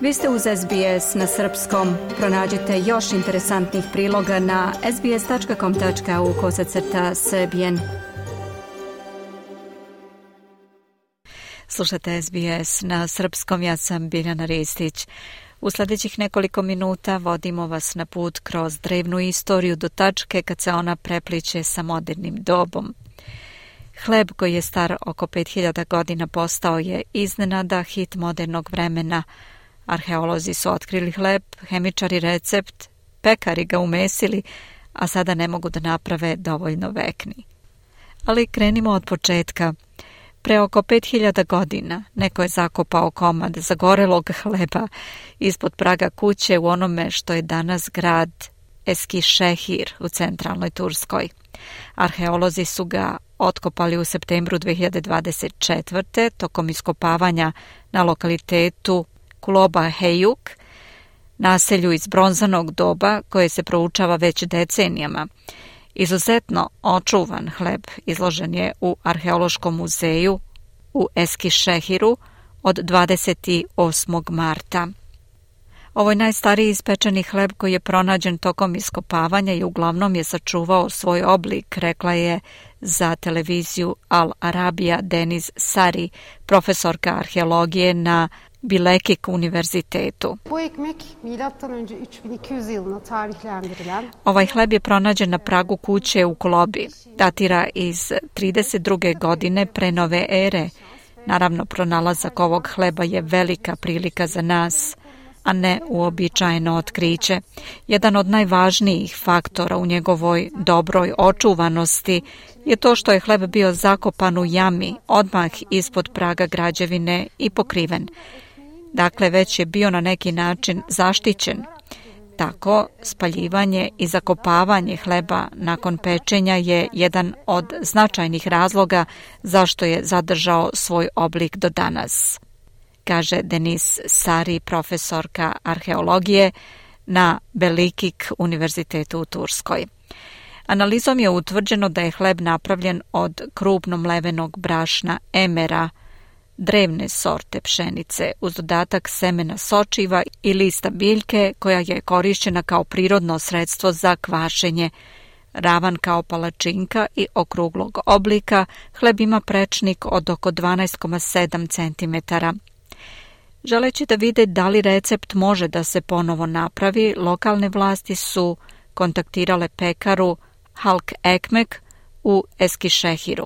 Vi ste uz SBS na srpskom. Pronađite još interesantnih priloga na sbs.com.au/srbijen. Slušate SBS na srpskom, ja sam Biljana Ristić. U sljedećih nekoliko minuta vodimo vas na put kroz drevnu istoriju do tačke kad se ona prepliče sa modernim dobom. Hleb koji je star oko 5000 godina postao je iznenada hit modernog vremena. Arheolozi su otkrili hleb, hemičari recept, pekari ga umesili, a sada ne mogu da naprave dovoljno vekni. Ali krenimo od početka. Pre oko 5000 godina neko je zakopao komad zagorelog hleba ispod praga kuće u onome što je danas grad Eskişehir u centralnoj Turskoj. Arheolozi su ga otkopali u septembru 2024. tokom iskopavanja na lokalitetu Kuloba Heyuk, naselju iz bronzanog doba koje se proučava već decenijama. Izuzetno očuvan hleb izložen je u Arheološkom muzeju u Eskişehiru od 28. marta. Ovo je najstariji ispečeni hleb koji je pronađen tokom iskopavanja i uglavnom je sačuvao svoj oblik, rekla je za televiziju Al Arabia Deniz Sari, profesorka arheologije na Bilekik univerzitetu. Ovaj hleb je pronađen na pragu kuće u Kulobi. Datira iz 32. godine pre nove ere. Naravno, pronalazak ovog hleba je velika prilika za nas, a ne uobičajeno otkriće. Jedan od najvažnijih faktora u njegovoj dobroj očuvanosti je to što je hleb bio zakopan u jami odmah ispod praga građevine i pokriven. Dakle, već je bio na neki način zaštićen. Tako, spaljivanje i zakopavanje hleba nakon pečenja je jedan od značajnih razloga zašto je zadržao svoj oblik do danas, kaže Deniz Sari, profesorka arheologije na Belikik univerzitetu u Turskoj. Analizom je utvrđeno da je hleb napravljen od krupno mlevenog brašna emera, drevne sorte pšenice, uz dodatak semena sočiva i lista biljke koja je korišćena kao prirodno sredstvo za kvašenje. Ravan kao palačinka i okruglog oblika, hleb ima prečnik od oko 12,7 cm. Želeći da vide da li recept može da se ponovo napravi, lokalne vlasti su kontaktirale pekaru Halk Ekmek u Eskişehiru.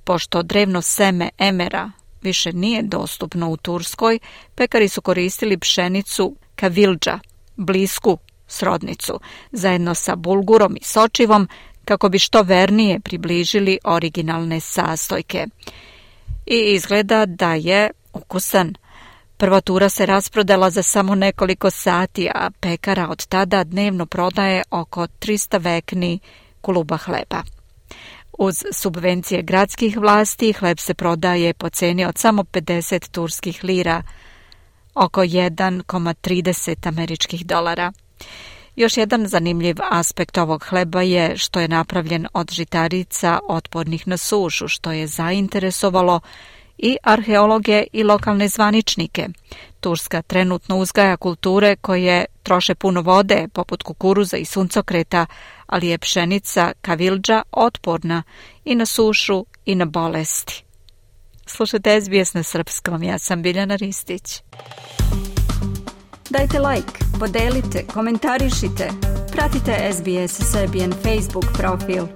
Pošto drevno seme emera više nije dostupno u Turskoj, pekari su koristili pšenicu kavilđa, blisku srodnicu, zajedno sa bulgurom i sočivom, kako bi što vernije približili originalne sastojke. I izgleda da je ukusan. Prva tura se rasprodala za samo nekoliko sati, a pekara od tada dnevno prodaje oko 300 vekni kuluba hleba. Uz subvencije gradskih vlasti, hleb se prodaje po ceni od samo 50 turskih lira, oko 1,30 američkih dolara. Još jedan zanimljiv aspekt ovog hleba je što je napravljen od žitarica otpornih na sušu, što je zainteresovalo i arheologe i lokalne zvaničnike. Turska trenutno uzgaja kulture koje troše puno vode, poput kukuruza i suncokreta, ali je pšenica kavilđa otporna i na sušu i na bolesti. Slušajte SBS na srpskom, ja sam Biljana Ristić. Dajte like, podelite, komentarišite, pratite SBS Serbian Facebook profil.